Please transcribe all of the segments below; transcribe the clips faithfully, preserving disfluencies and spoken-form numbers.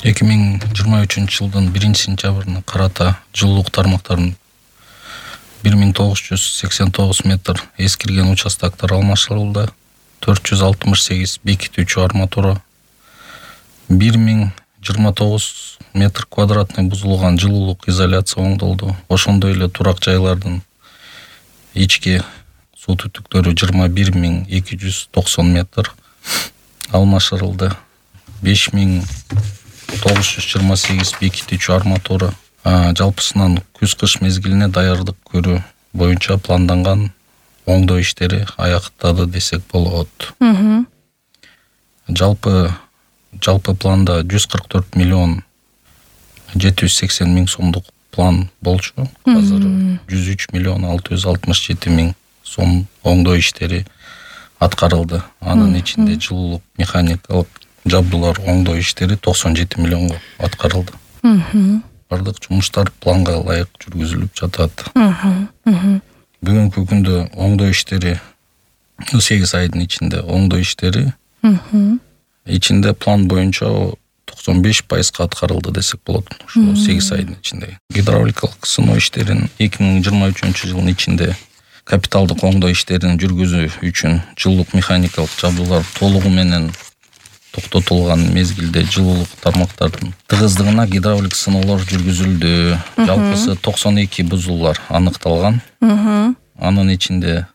эки миң жыйырма үчүнчү жылдын биринчи сентябрына карата жылуулук тармактарын бир миң тогуз жүз сексен тогуз метр эскирген участоктор алмаштырылды. төрт жүз алтымыш сегиз бекитүүчү арматура, бир миң жыйырма тогуз метр квадратный бузулган жылуулук изоляция оңдолду. Ошондой эле турак жайлардын ички суу түтүктөрү жыйырма бир миң эки жүз токсон метр алмаштырылды. беш миң тогуз жүз жыйырма сегиз бекитүүчү арматура, жалпысынан күз-кыш мезгилине даярдык көрүү боюнча планданган оңдоо иштери аяктады десек болот. Жалпы жалпы планда жүз кырк төрт миллион жети жүз сексен миң сомдук план болчу. Азыр жүз үч миллион алты жүз алтымыш жети миң сом оңдоо иштери аткарылды. Анын ичинде жылуулук механикалык жабдуулар оңдоо иштери токсон жети миллионго аткарылды. Бардык жумуштар планга ылайык жүргүзүлүп жатат. Бүгүнкү күндө оңдоо иштери сегиз айдын ичинде оңдоо иштери ичинде план боюнча токсон беш пайызга аткарылды десек болот. Ошо сегиз айдын ичинде. Гидравликалык сыноо иштерин эки миң жыйырма үчүнчү жылдын ичинде капиталдык оңдоо иштерин жүргүзүү үчүн жылуулук механикалык жабдуулар толугу менен токтотулган мезгилде жылуулук тармактардын тыгыздыгына гидравлик сыноолор жүргүзүлдү. Жалпысы токсон эки бузулуулар аныкталган. Анын ичинде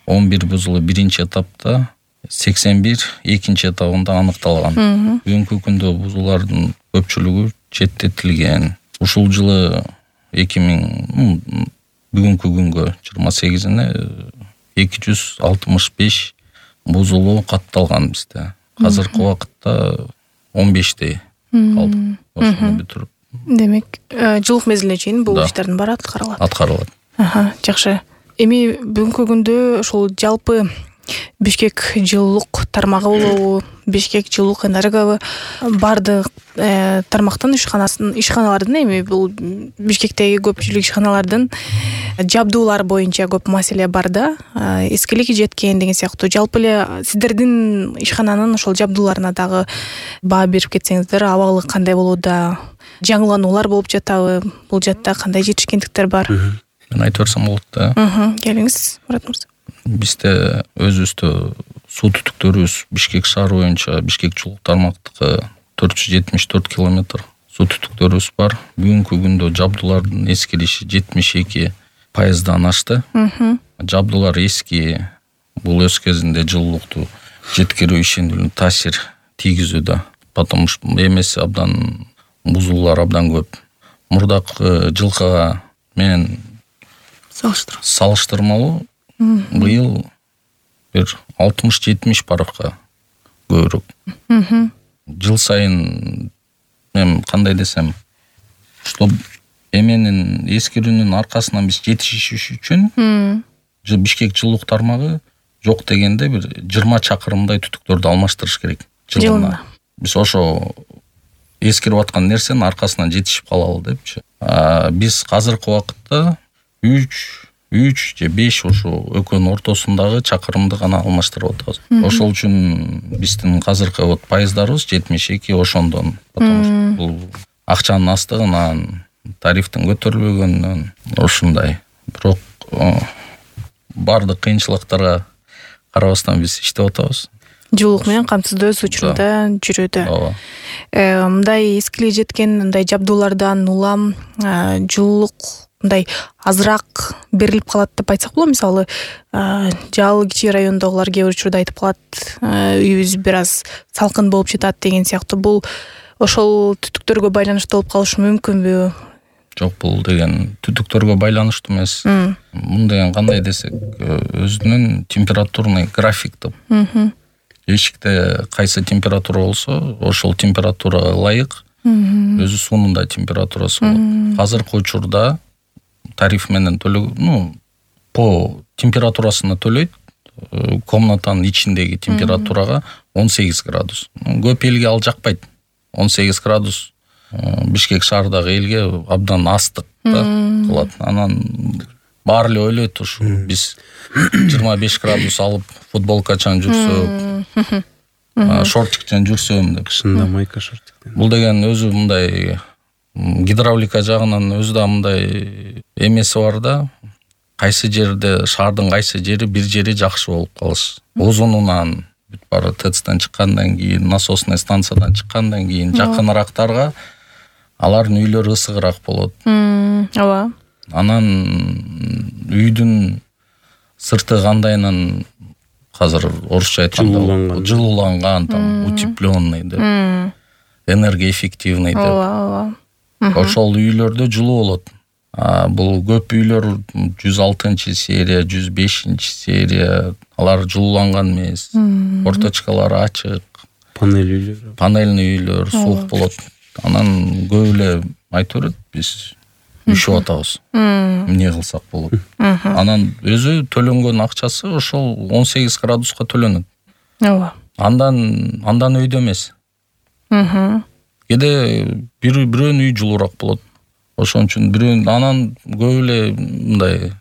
он бир бузулуу биринчи этапта, сексен бир экинчи этабында аныкталган. Бүгүнкү күндө бузуулардын көпчүлүгү четтетилген. Ушул жылы эки миң бүгүнкү күнгө жыйырма сегизине эки жүз алтымыш беш бузулуу катталган бизде. Азыркы убакытта он бештей калды. Ошону бүтүрүп. Демек, жылуулук мезгилине чейин бул ишттердин баары аткарылат. Аткарылат. Аха, жакшы. Эми бүгүнкү күндө ошол жалпы Бишкек жылуулук тармагы болобу, Бишкек жылуулук энергобу бардык тармактын ишканасын ишканалардын эми бул Бишкектеги көпчүлүк ишканалардын жабдуулар боюнча көп маселе бар да. Эскилиги жеткен деген сыяктуу. Жалпы эле сиздердин ишкананын ошол жабдууларына дагы баа берип кетсеңиздер, абалы кандай болууда? Жаңылануулар болуп жатабы? Бул жакта кандай жетишкендиктер бар? Мен айтып берсем болот да. Келиңиз, Мурат мырза. Бизде өзүбүздө суу түтүктөрүбүз Бишкек шаары боюнча Бишкек жылуулук тармактыкы төрт жүз жетимиш төрт километр суу түтүктөрүбүз бар. Бүгүнкү күндө жабдуулардын эскириши жетимиш эки пайыздан ашты. Жабдуулар эски, бул өз кезинде жылуулукту жеткирүү ишине таасир тийгизүүдө. Потому что эмеси абдан бузуулар абдан көп. Мурдакы жылкыга менен салыштырмалуу быйыл бир алтымыш жетимиш баракка көбүрөөк. Жыл сайын мен кандай десем, что эменин эскирүүнүн аркасынан биз жетишиш үчүн Бишкек жылуулук тармагы жок дегенде бир жыйырма чакырымдай түтүктөрдү алмаштырыш керек жылына. Биз ошо эскирип аткан нерсенин аркасынан жетишип калалы депчи. Биз азыркы убакытта үч үч же беш ошо экөөнүн ортосундагы чакырымды гана алмаштырып атабыз. Ошол үчүн биздин азыркы вот пайыздарыбыз жетимиш эки ошондон. Потому что бул акчанын астыгынан, тарифтин көтөрүлбөгөнүнөн ушундай. Бирок бардык кыйынчылыктарга карабастан биз иштеп атабыз. Жылуулук менен камсыздоо учурунда жүрүүдө. Мындай эскилиги жеткен мындай жабдуулардан улам жылуулук мындай азыраак берилип калат деп айтсак болот. Мисалы, Жал кичи райондогулар кээ бир учурда айтып калат, үйүбүз бир аз салкын болуп жатат деген сыяктуу. Бул ошол түтүктөргө байланыштуу болуп калышы мүмкүнбү? Жок, бул деген түтүктөргө байланыштуу эмес. Мун деген кандай десек, өзүнүн температурный график деп. Эшикте кайсы температура болсо, ошол температурага ылайык өзү суунун да температурасы болот. Азыркы учурда тариф менен төлөө, ну, по температурасына төлөйт. Комнатанын ичиндеги температурага он сегиз градус. Көп элге ал жакпайт. он сегиз градус Бишкек шаарындагы элге абдан астык да кылат. Анан баары эле ойлойт, ушу биз жыйырма беш градус алып футболка чаң жүрсөк, шортиктен жүрсөм деп. Кышында майка шортиктен. Бул деген өзү мындай гидравлика жагынан өзү да мындай эмеси бар да. Кайсы жерде шаардын кайсы жери бир жери жакшы болуп калыш. Узунунан бүт бары ТЭЦтен чыккандан кийин, насосный станциядан чыккандан кийин жакынырактарга алардын үйлөрү ысыгыраак болот. Ооба. Анан үйдүн сырты кандайынан азыр орусча айтканда жылууланган, там утепленный деп, энергоэффективный деп. Ооба, ооба. Ошол үйлөрдө жылуу болот. А бул көп үйлөр жүз алтынчы серия, жүз бешинчи серия, алар жылууланган эмес. Форточкалары ачык. Панель үйлөр. Панельный үйлөр суук болот. Анан көп эле айтып берет, биз үшүп атабыз. Эмне кылсак болот. Анан өзү төлөнгөн акчасы ошол он сегиз градуска төлөнөт. Ооба. Андан андан өйдө эмес. Кээде бир бирөөнүн үй жылуураак болот. Ошон үчүн бирөөнүн анан көп эле мындай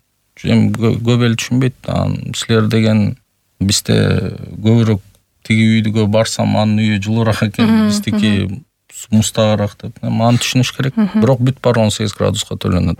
эми көп эле түшүнбөйт. Анан силер деген бизде көбүрөөк тиги үйгө барсам анын үйү жылуураак экен, биздики мустагыраак деп. Аны түшүнүш керек. Бирок бүт баары он сегиз градуска төлөнөт.